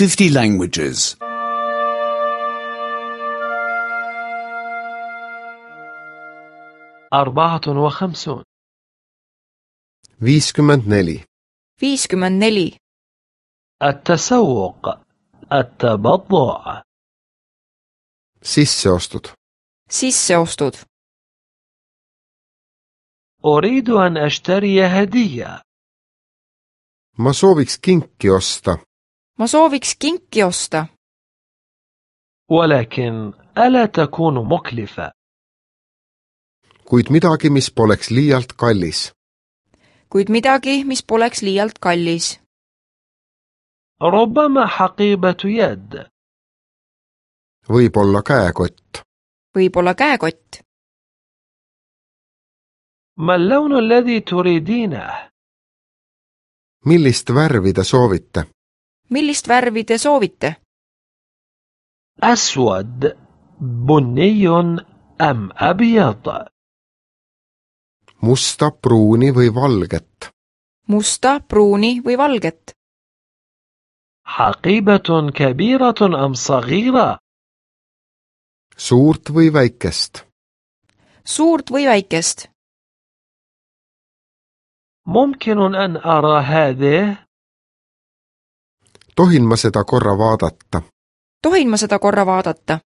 50 languages. 54 54. 54. التسوق التبضع Sisseostud. Sisseostud. أريد أن أشتري هدية Ma sooviks kinki osta, Ma sooviks kinki osta, ولكن ألا تكون مكلفة kuid midagi, mis poleks liialt kallis. kuid midagi, mis poleks liialt kallis. ربما حقيبة يد Võib-olla käekott. Võib-olla käekott. ما اللون الذي تريدينه؟ Millist värvi te soovite? Millist värvi te soovite? أسود بني أم أبيض؟ Musta, pruuni või valget? Musta, pruuni või valget? حقيبة كبيرة أم صغيرة؟ Suurt või väikest? Suurt või väikest? ممكن أن أرى هذه؟ Tohin ma seda korra vaadata? Tohin ma seda korra vaadata?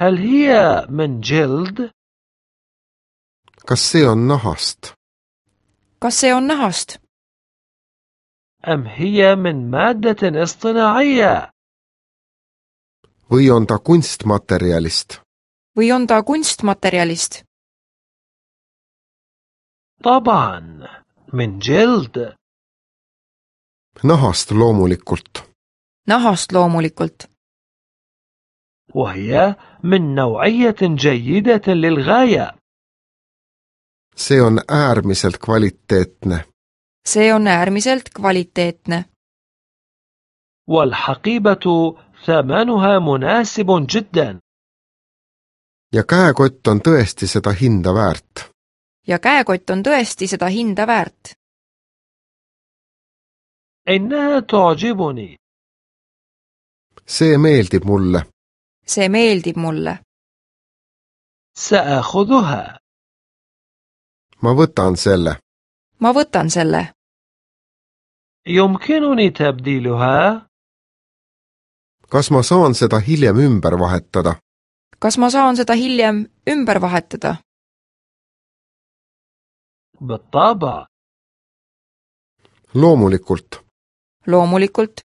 هل هي من جلد؟ Kas see on nahast? Kas see on nahast? أم هي من مادة اصطناعية؟ Või on ta kunstmaterjalist? Või on ta kunstmaterjalist? طبعا من جلد Nahast loomulikult. Nahast loomulikult. وهي من نوعية جيدة للغاية See on äärmiselt kvaliteetne. See on äärmiselt kvaliteetne. والحقيبة ثمنها مناسب جدا Ja käekott on tõesti seda hinda väärt. Ja käekott on tõesti seda hinda väärt. إنها تعجبني See meeldib mulle. See meeldib mulle. سأخذها Ma võtan selle. Ma võtan selle. يمكنني تبديلها؟ Kas ma saan seda hiljem ümber vahetada? Kas ma saan seda hiljem ümber vahetada? بالطبع Loomulikult. Loomulikult.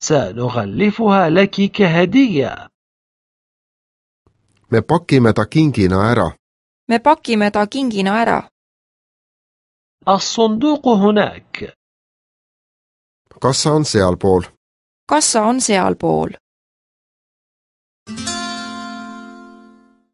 سنغلفها لك كهدية Me pakime ta kingina ära. Me pakime ta kingina ära. الصندوق هناك Kassa on sealpool. Kassa on sealpool.